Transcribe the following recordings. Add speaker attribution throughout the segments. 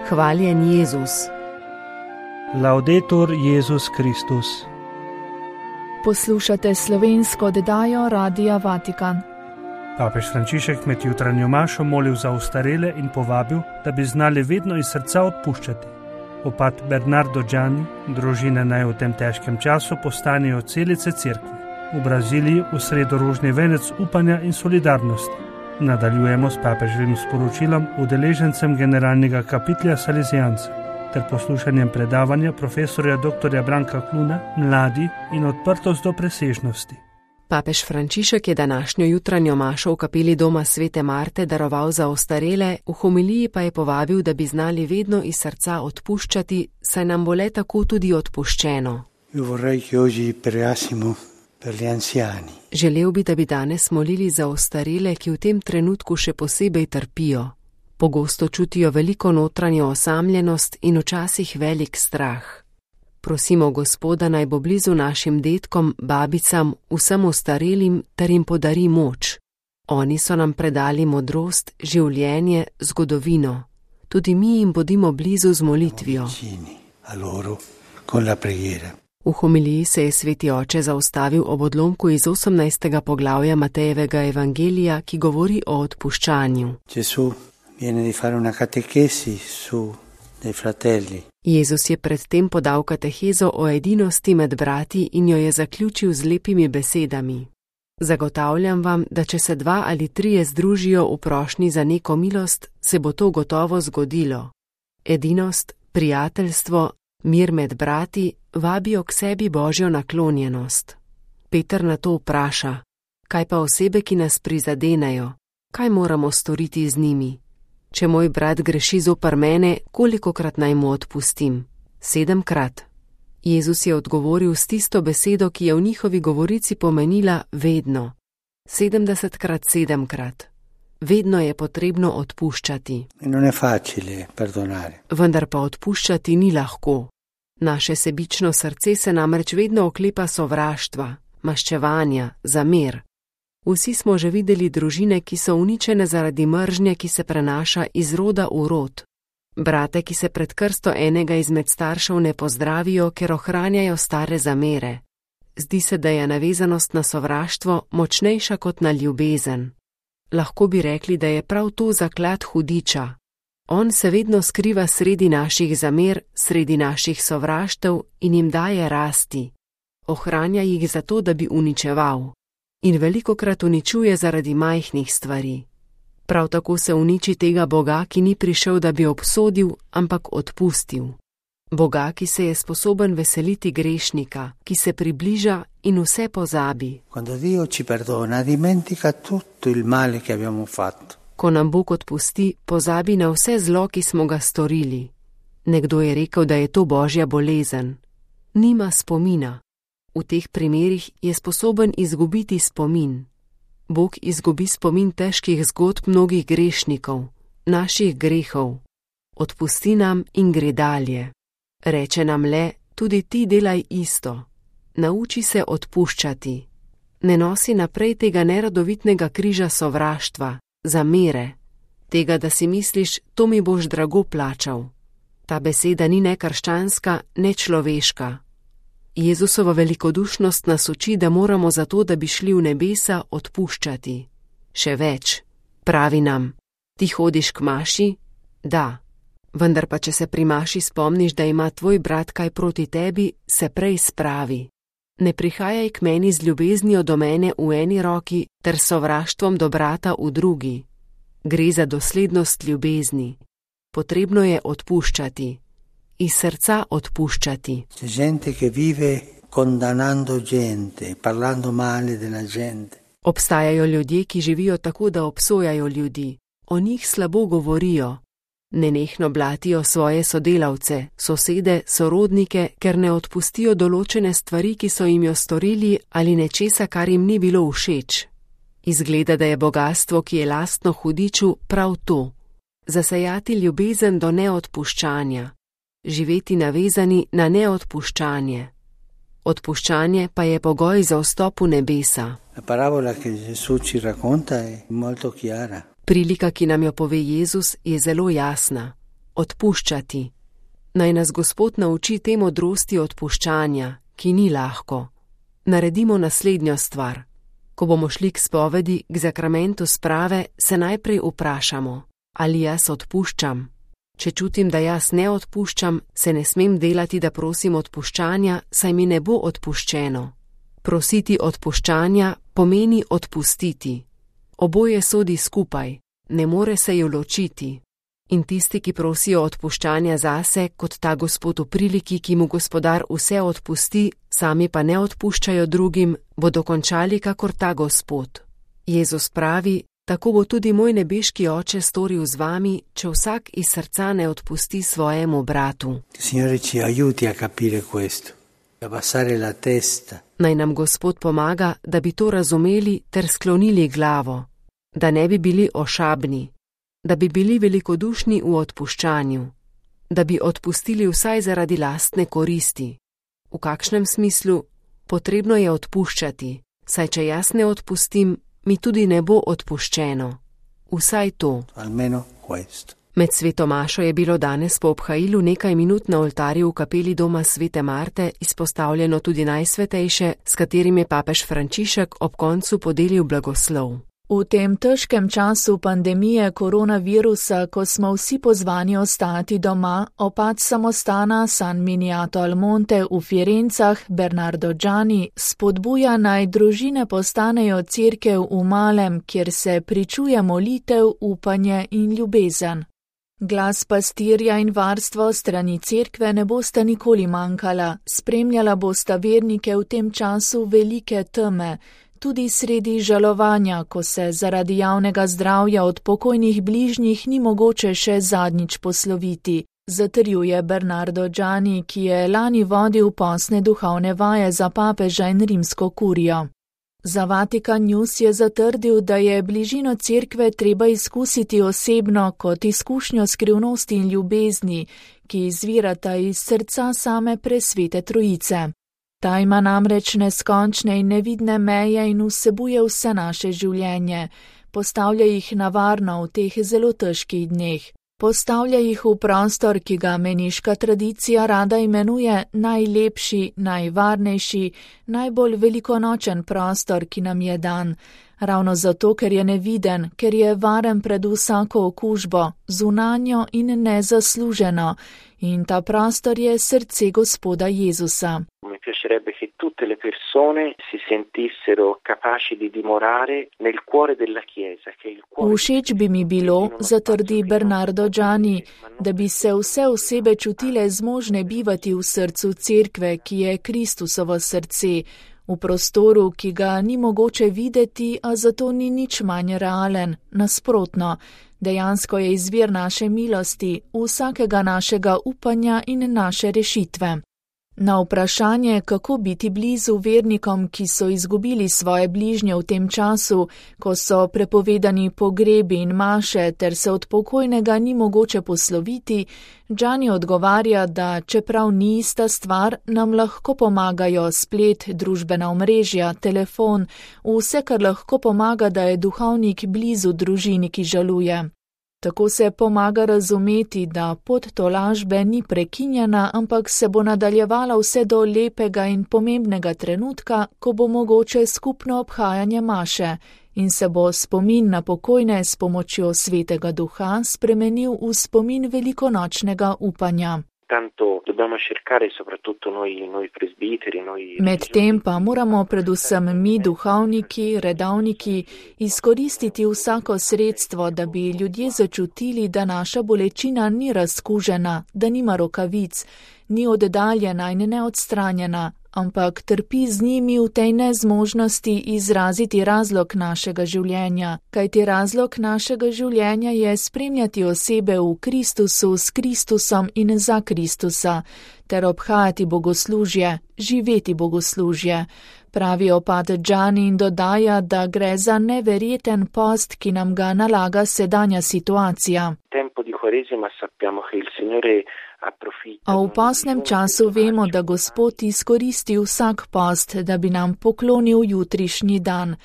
Speaker 1: Hvaljen Jezus.
Speaker 2: Laudetur Jezus Kristus.
Speaker 3: Poslušate slovensko oddajo Radia Vatikan.
Speaker 2: Papež Frančišek med jutranjo mašo molil za ostarele in povabil, da bi znali vedno iz srca odpuščati. Opat Bernardo Gianni, družine naj v tem težkem času postanejo celice cerkve. V Braziliji v sredo rožni venec upanja in solidarnosti. Nadaljujemo s papeževim sporočilom udeležencem generalnega kapitlja Salezijancev ter poslušanjem predavanja profesorja dr. Branka Kluna Mladi in odprtost do presežnosti.
Speaker 1: Papež Frančišek je današnjo jutranjo mašo v kapeli doma Svete Marte daroval za ostarele, v homiliji pa je povabil, da bi znali vedno iz srca odpuščati, saj nam bo le tako tudi odpuščeno. Želel bi, da bi danes molili za ostarele, ki v tem trenutku še posebej trpijo. Pogosto čutijo veliko notranjo osamljenost in včasih velik strah. Prosimo Gospoda, naj bo blizu našim dedkom, babicam, vsem ostarelim, ter jim podari moč. Oni so nam predali modrost, življenje, zgodovino. Tudi mi jim bodimo blizu z molitvijo. V homiliji se je sveti oče zaustavil ob odlomku iz 18. poglavja Matejevega evangelija, ki govori o odpuščanju. Jezus je predtem podal katehezo o edinosti med brati in jo je zaključil z lepimi besedami. Zagotavljam vam, da če se 2 ali 3 združijo v prošnji za neko milost, se bo to gotovo zgodilo. Edinost, prijateljstvo, mir med brati vabijo k sebi Božjo naklonjenost. Peter na to vpraša: kaj pa osebe, ki nas prizadenejo? Kaj moramo storiti z njimi? Če moj brat greši zoper mene, kolikokrat naj mu odpustim? 7-krat. Jezus je odgovoril s tisto besedo, ki je v njihovi govorici pomenila vedno. 70-krat 7-krat. Vedno je potrebno odpuščati. Vendar pa odpuščati ni lahko. Naše sebično srce se namreč vedno oklepa sovraštva, maščevanja, zamer. Vsi smo že videli družine, ki so uničene zaradi mržnje, ki se prenaša iz roda v rod. Brate, ki se pred krsto enega izmed staršev ne pozdravijo, ker ohranjajo stare zamere. Zdi se, da je navezanost na sovraštvo močnejša kot na ljubezen. Lahko bi rekli, da je prav to zaklad hudiča. On se vedno skriva sredi naših zamer, sredi naših sovraštev in jim daje rasti. Ohranja jih zato, da bi uničeval. In velikokrat uničuje zaradi majhnih stvari. Prav tako se uniči tega Boga, ki ni prišel, da bi obsodil, ampak odpustil. Boga, ki se je sposoben veseliti grešnika, ki se približa in vse pozabi. Ko nam Bog odpusti, pozabi na vse zlo, ki smo ga storili. Nekdo je rekel, da je to Božja bolezen. Nima spomina. V teh primerih je sposoben izgubiti spomin. Bog izgubi spomin težkih zgodb mnogih grešnikov, naših grehov. Odpusti nam in gre dalje. Reče nam le, tudi ti delaj isto. Nauči se odpuščati. Ne nosi naprej tega neradovitnega križa sovraštva, zamere. Tega, da si misliš, to mi boš drago plačal. Ta beseda ni ne krščanska, ne človeška. Jezusova velikodušnost nas uči, da moramo zato, da bi šli v nebesa, odpuščati. Še več. Pravi nam: ti hodiš k maši? Da. Vendar pa, če se pri maši spomniš, da ima tvoj brat kaj proti tebi, se prej spravi. Ne prihajaj k meni z ljubeznijo do mene v eni roki ter sovraštvom do brata v drugi. Gre za doslednost ljubezni. Potrebno je odpuščati. Iz srca odpuščati. Obstajajo ljudje, ki živijo tako, da obsojajo ljudi. O njih slabo govorijo. Nenehno blatijo svoje sodelavce, sosede, sorodnike, ker ne odpustijo določene stvari, ki so jim jo storili, ali nečesa, kar jim ni bilo všeč. Izgleda, da je bogastvo, ki je lastno hudiču, prav to. Zasejati ljubezen do neodpuščanja. Živeti navezani na neodpuščanje. Odpuščanje pa je pogoj za vstop v nebesa. Prilika, ki nam jo pove Jezus, je zelo jasna. odpuščati. Naj nas Gospod nauči te modrosti odpuščanja, ki ni lahko. Naredimo naslednjo stvar. Ko bomo šli k spovedi, k zakramentu sprave, se najprej vprašamo, ali jaz odpuščam. Če čutim, da jaz ne odpuščam, se ne smem delati, da prosim odpuščanja, saj mi ne bo odpuščeno. Prositi odpuščanja pomeni odpustiti. Oboje sodi skupaj, ne more se ju ločiti. In tisti, ki prosijo odpuščanja zase, kot ta gospod v priliki, ki mu gospodar vse odpusti, sami pa ne odpuščajo drugim, bodo končali kakor ta gospod. Jezus pravi, tako bo tudi moj nebeški oče storil z vami, če vsak iz srca ne odpusti svojemu bratu.
Speaker 4: Signore ci aiuti a capire questo, a passare la testa.
Speaker 1: Naj nam Gospod pomaga, da bi to razumeli ter sklonili glavo, da ne bi bili ošabni, da bi bili velikodušni v odpuščanju, da bi odpustili vsaj zaradi lastne koristi. V kakšnem smislu? Potrebno je odpuščati, saj če jaz ne odpustim, mi tudi ne bo odpuščeno. Vsaj to.
Speaker 4: Almeno questo.
Speaker 1: Med sveto mašo je bilo danes po obhajilu nekaj minut na oltarju v kapeli doma svete Marte izpostavljeno tudi najsvetejše, s katerim je papež Frančišek ob koncu podelil blagoslov.
Speaker 3: V tem težkem času pandemije koronavirusa, ko smo vsi pozvani ostati doma, opat samostana San Miniato al Monte v Firencah, Bernardo Gianni, spodbuja naj družine postanejo cerkev v malem, kjer se pričuje molitev, upanje in ljubezen. Glas pastirja in varstvo strani cerkve ne bosta nikoli manjkala, spremljala bosta vernike v tem času velike teme, tudi sredi žalovanja, ko se zaradi javnega zdravja od pokojnih bližnjih ni mogoče še zadnjič posloviti, zatrjuje Bernardo Gianni, ki je lani vodil posne duhovne vaje za papeža in rimsko kurijo. Za Vatikan News je zatrdil, da je bližino cerkve treba izkusiti osebno kot izkušnjo skrivnosti in ljubezni, ki izvirata iz srca same presvete trojice. Ta ima namreč neskončne in nevidne meje in vsebuje vse naše življenje, postavlja jih na varno v teh zelo težkih dneh. Postavlja jih v prostor, ki ga meniška tradicija rada imenuje najlepši, najvarnejši, najbolj velikonočen prostor, ki nam je dan. Ravno zato, ker je neviden, ker je varen pred vsako okužbo, zunanjo in nezasluženo. In ta prostor je srce Gospoda Jezusa.
Speaker 5: Mi piacerebbe che tutte le persone si sentissero capaci di dimorare nel cuore della Chiesa, che il cuore.
Speaker 3: Všeč bi mi bilo, zatrdi Bernardo Gianni, da bi se vse osebe čutile zmožne bivati v srcu cerkve, ki je Kristusovo srce, v prostoru, ki ga ni mogoče videti, a zato ni nič manj realen, nasprotno. Dejansko je izvir naše milosti, vsakega našega upanja in naše rešitve. Na vprašanje, kako biti blizu vernikom, ki so izgubili svoje bližnje v tem času, ko so prepovedani pogrebi in maše ter se od pokojnega ni mogoče posloviti, Gianni odgovarja, da čeprav ni ista stvar, nam lahko pomagajo splet, družbena omrežja, telefon, vse, kar lahko pomaga, da je duhovnik blizu družini, ki žaluje. Tako se pomaga razumeti, da pot tolažbe ni prekinjena, ampak se bo nadaljevala vse do lepega in pomembnega trenutka, ko bo mogoče skupno obhajanje maše in se bo spomin na pokojne s pomočjo Svetega Duha spremenil v spomin velikonočnega upanja. Medtem pa moramo predvsem mi, duhovniki, redovniki, izkoristiti vsako sredstvo, da bi ljudje začutili, da naša bolečina ni razkužena, da nima rokavic, ni oddaljena in neodstranjena, ampak trpi z njimi v tej nezmožnosti izraziti razlog našega življenja, kajti razlog našega življenja je spremljati osebe v Kristusu, s Kristusom in za Kristusa, ter obhajati bogoslužje, živeti bogoslužje. Pravi opat Gianni in dodaja, da gre za neverjeten post, ki nam ga nalaga sedanja situacija. A v postnem času vemo, da Gospod izkoristi vsak post, da bi nam poklonil jutrišnji dan.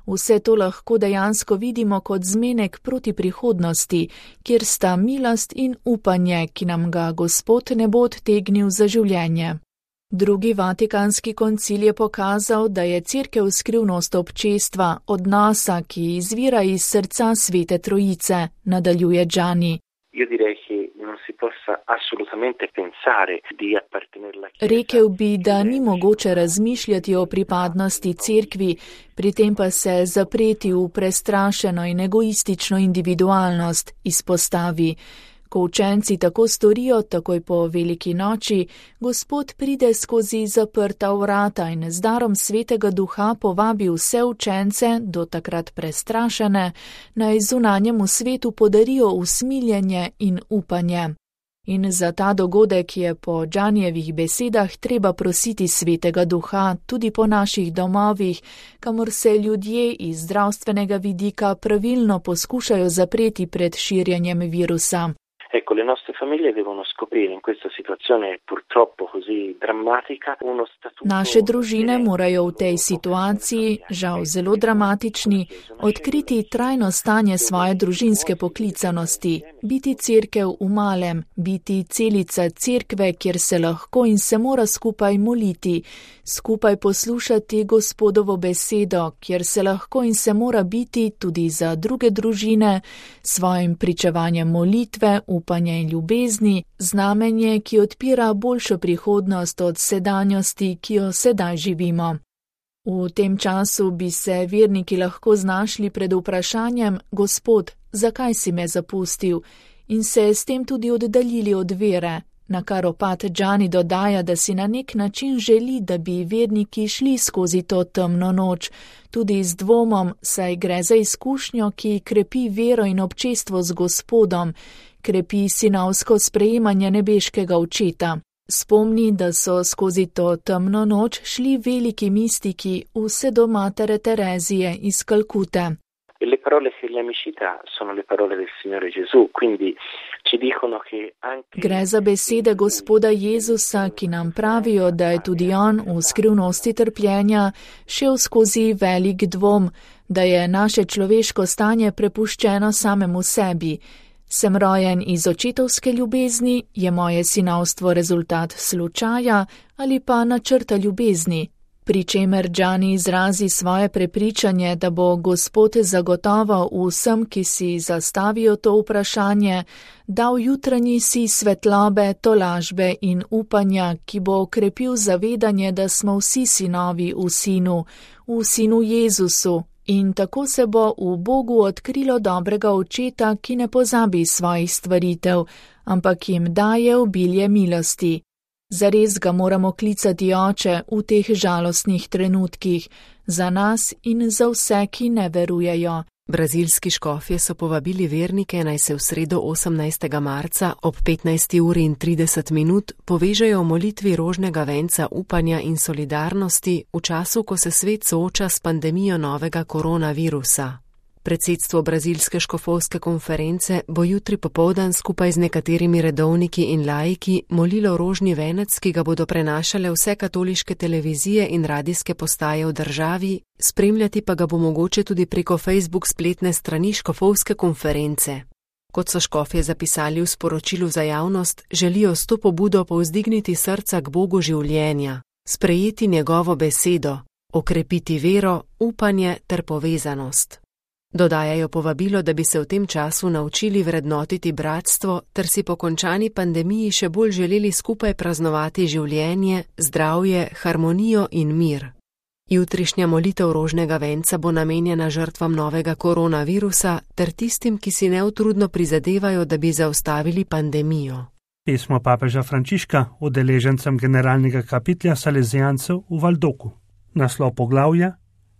Speaker 3: Vse to lahko dejansko vidimo kot zmenek proti prihodnosti, kjer sta milost in upanje, ki nam ga Gospod ne bo odtegnil za življenje. Drugi vatikanski koncil je pokazal, da je Cerkev skrivnost občestva, odnosa, ki izvira iz srca Svete Trojice, nadaljuje Gianni. Rekel bi, da ni mogoče razmišljati o pripadnosti Cerkvi, pri tem pa se zapreti v prestrašeno in egoistično individualnost, izpostavi. Ko učenci tako storijo, takoj po veliki noči, Gospod pride skozi zaprta vrata in z darom Svetega Duha povabi vse učence, do takrat prestrašene, naj zunanjemu svetu podarijo usmiljenje in upanje. In za ta dogodek je po Giannijevih besedah treba prositi Svetega Duha tudi po naših domovih, kamor se ljudje iz zdravstvenega vidika pravilno poskušajo zapreti pred širjenjem virusa.
Speaker 5: Ecco, le nostre famiglie devono scoprire in questa situazione purtroppo così drammatica uno statuto.
Speaker 3: Naše družine morajo v tej situaciji, žal zelo dramatični, odkriti trajno stanje svoje družinske poklicanosti, biti cerkev v malem, biti celica cerkve, kjer se lahko in se mora skupaj moliti, skupaj poslušati Gospodovo besedo, kjer se lahko in se mora biti tudi za druge družine, svojim pričevanjem molitve, upanja in ljubezni, znamenje, ki odpira boljšo prihodnost od sedanjosti, ki jo sedaj živimo. V tem času bi se verniki lahko znašli pred vprašanjem: Gospod, zakaj si me zapustil? In se s tem tudi oddaljili od vere, na kar opat Gianni dodaja, da si na nek način želi, da bi verniki šli skozi to temno noč, tudi z dvomom, saj gre za izkušnjo, ki krepi vero in občestvo z Gospodom, krepi sinovsko sprejemanje nebeškega očeta. Spomni, da so skozi to temno noč šli veliki mistiki vse do matere Terezije iz Kalkute.
Speaker 5: Le parole dell'amicità sono le parole del Signore Gesù, quindi ci dicono che anche...
Speaker 3: Gre za besede Gospoda Jezusa, ki nam pravijo, da je tudi on v skrivnosti trpljenja šel skozi velik dvom, da je naše človeško stanje prepuščeno samemu sebi. Sem rojen iz očetovske ljubezni, je moje sinovstvo rezultat slučaja ali pa načrta ljubezni? Pri čemer Gianni izrazi svoje prepričanje, da bo Gospod zagotovo vsem, ki si zastavijo to vprašanje, dal jutranji si svetlobe, tolažbe in upanja, ki bo okrepil zavedanje, da smo vsi sinovi v Sinu Jezusu, in tako se bo v Bogu odkrilo dobrega očeta, ki ne pozabi svojih stvaritev, ampak jim daje obilje milosti. Zares ga moramo klicati Oče v teh žalostnih trenutkih, za nas in za vse, ki ne verujejo.
Speaker 1: Brazilski škofje so povabili vernike, naj se v sredo 18. marca ob 15:30 povežejo v molitvi rožnega venca upanja in solidarnosti v času, ko se svet sooča s pandemijo novega koronavirusa. Predsedstvo Brazilske škofovske konference bo jutri popoldan skupaj z nekaterimi redovniki in laiki molilo rožni venec, ki ga bodo prenašale vse katoliške televizije in radijske postaje v državi, spremljati pa ga bo mogoče tudi preko Facebook spletne strani škofovske konference. Kot so škofje zapisali v sporočilu za javnost, želijo s to pobudo povzdigniti srca k Bogu življenja, sprejeti njegovo besedo, okrepiti vero, upanje ter povezanost. Dodajajo povabilo, da bi se v tem času naučili vrednotiti bratstvo ter si po končani pandemiji še bolj želeli skupaj praznovati življenje, zdravje, harmonijo in mir. Jutrišnja molitev rožnega venca bo namenjena žrtvam novega koronavirusa ter tistim, ki si neutrudno prizadevajo, da bi zaustavili pandemijo.
Speaker 2: Pismo papeža Frančiška udeležencem generalnega kapitla Salezijancev v Valdoku. Naslov poglavja: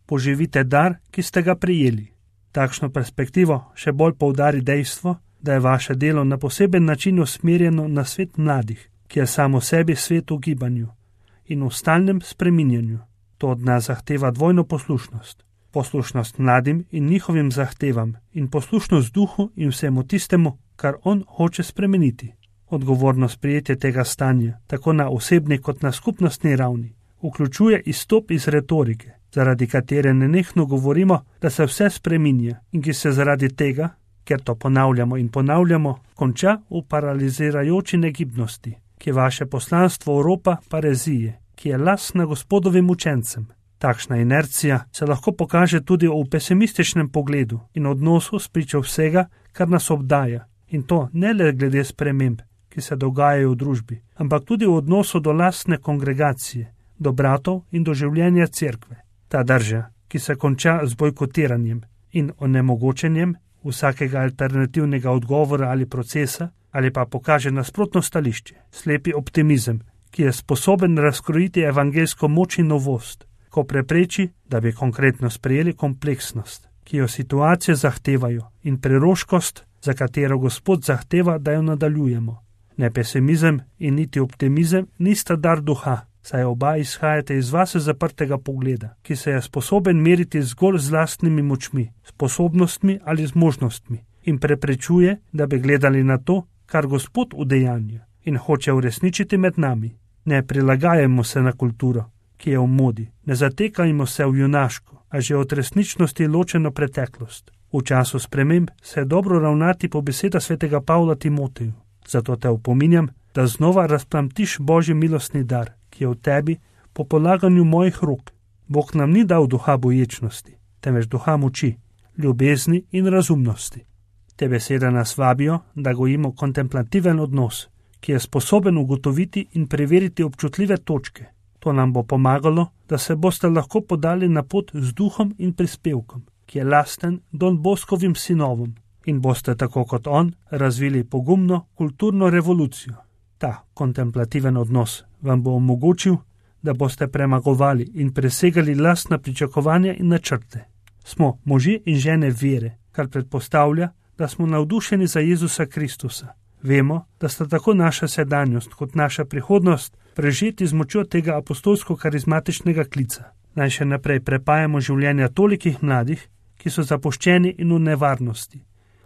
Speaker 2: Poživite dar, ki ste ga prejeli. Takšno perspektivo še bolj poudari dejstvo, da je vaše delo na poseben način usmerjeno na svet mladih, ki je samo sebi svet v gibanju in v stalnem spreminjanju. To od nas zahteva dvojno poslušnost. Poslušnost mladim in njihovim zahtevam in poslušnost duhu in vsemu tistemu, kar on hoče spremeniti. Odgovornost prijetje tega stanja, tako na osebni kot na skupnostni ravni, vključuje izstop iz retorike zaradi katere nenehno govorimo, da se vse spreminja in ki se zaradi tega, ker to ponavljamo in ponavljamo, konča v paralizirajoči negibnosti, ki je vaše poslanstvo Evropa parezije, ki je lastna Gospodovim učencem. Takšna inercija se lahko pokaže tudi v pesimističnem pogledu in odnosu spričo vsega, kar nas obdaja, in to ne le glede sprememb, ki se dogajajo v družbi, ampak tudi v odnosu do lastne kongregacije, do bratov in do življenja cerkve. Ta drža, ki se konča z bojkotiranjem in onemogočenjem vsakega alternativnega odgovora ali procesa, ali pa pokaže nasprotno stališče, slepi optimizem, ki je sposoben razkrojiti evangeljsko moč in novost, ko prepreči, da bi konkretno sprejeli kompleksnost, ki jo situacije zahtevajo, in preroškost, za katero Gospod zahteva, da jo nadaljujemo. Ne pesimizem in niti optimizem nista dar duha, saj oba izhajate iz vase zaprtega pogleda, ki se je sposoben meriti zgolj z lastnimi močmi, sposobnostmi ali zmožnostmi in preprečuje, da bi gledali na to, kar Gospod udejanja in hoče uresničiti med nami. Ne prilagajamo se na kulturo, ki je v modi, ne zatekajmo se v junaško, a že od resničnosti ločeno preteklost. V času sprememb se je dobro ravnati po besedah svetega Pavla Timoteju. Zato te opominjam, da znova razplamtiš Božji milostni dar, ki je v tebi po polaganju mojih rok. Bog nam ni dal duha boječnosti, temveč duha moči, ljubezni in razumnosti. Te besede nas vabijo, da gojimo kontemplativen odnos, ki je sposoben ugotoviti in preveriti občutljive točke. To nam bo pomagalo, da se boste lahko podali na pot z duhom in prispevkom, ki je lasten Don Boskovim sinovom, in boste tako kot on razvili pogumno kulturno revolucijo. Ta kontemplativen odnos vam bo omogočil, da boste premagovali in presegali lastna pričakovanja in načrte. Smo možje in žene vere, kar predpostavlja, da smo navdušeni za Jezusa Kristusa. Vemo, da sta tako naša sedanjost kot naša prihodnost prežeti z močjo tega apostolsko-karizmatičnega klica. Naj še naprej prepajamo življenja tolikih mladih, ki so zapuščeni in v nevarnosti,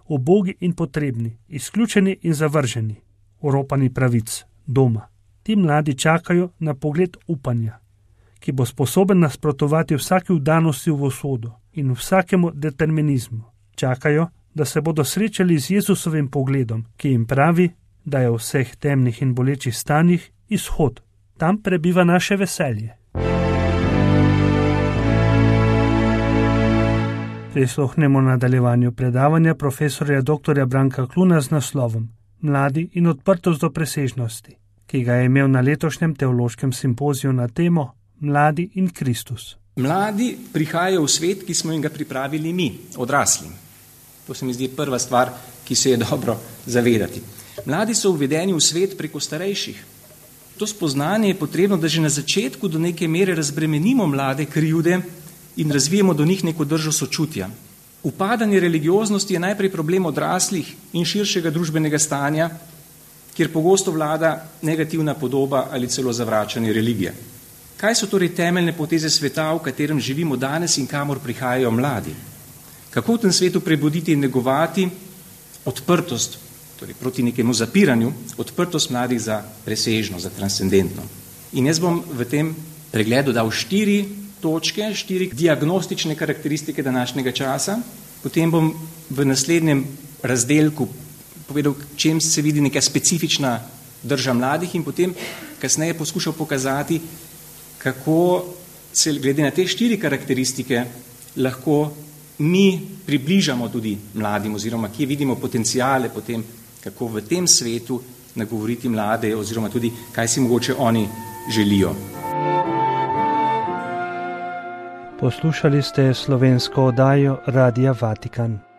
Speaker 2: ubogi in potrebni, izključeni in zavrženi, oropani pravic, doma. Ti mladi čakajo na pogled upanja, ki bo sposoben nasprotovati vsaki vdanosti v usodo in vsakemu determinizmu. Čakajo, da se bodo srečali z Jezusovim pogledom, ki jim pravi, da je v vseh temnih in bolečih stanjih izhod. Tam prebiva naše veselje. Prisluhnemo nadaljevanju predavanja profesorja dr. Branka Kluna z naslovom Mladi in odprtost do presežnosti, ki ga je imel na letošnjem teološkem simpoziju na temo Mladi in Kristus.
Speaker 6: Mladi prihajajo v svet, ki smo jim ga pripravili mi, odrasli. To se mi zdi prva stvar, ki se je dobro zavedati. Mladi so uvedeni v svet preko starejših. To spoznanje je potrebno, da že na začetku do neke mere razbremenimo mlade krivde in razvijemo do njih neko držo sočutja. Upadanje religioznosti je najprej problem odraslih in širšega družbenega stanja, kjer pogosto vlada negativna podoba ali celo zavračanje religije. Kaj so torej temeljne poteze sveta, v katerem živimo danes in kamor prihajajo mladi? Kako v tem svetu prebuditi in negovati odprtost, torej proti nekemu zapiranju, odprtost mladih za presežno, za transcendentno? In jaz bom v tem pregledu dal 4 točke, 4 diagnostične karakteristike današnjega časa, potem bom v naslednjem razdelku povedal, čem se vidi neka specifična drža mladih in potem kasneje poskušal pokazati, kako se glede na te 4 karakteristike lahko mi približamo tudi mladim oziroma kje vidimo potencijale potem, kako v tem svetu nagovoriti mlade oziroma tudi, kaj si mogoče oni želijo.
Speaker 2: Poslušali ste slovensko oddajo Radia Vatikan.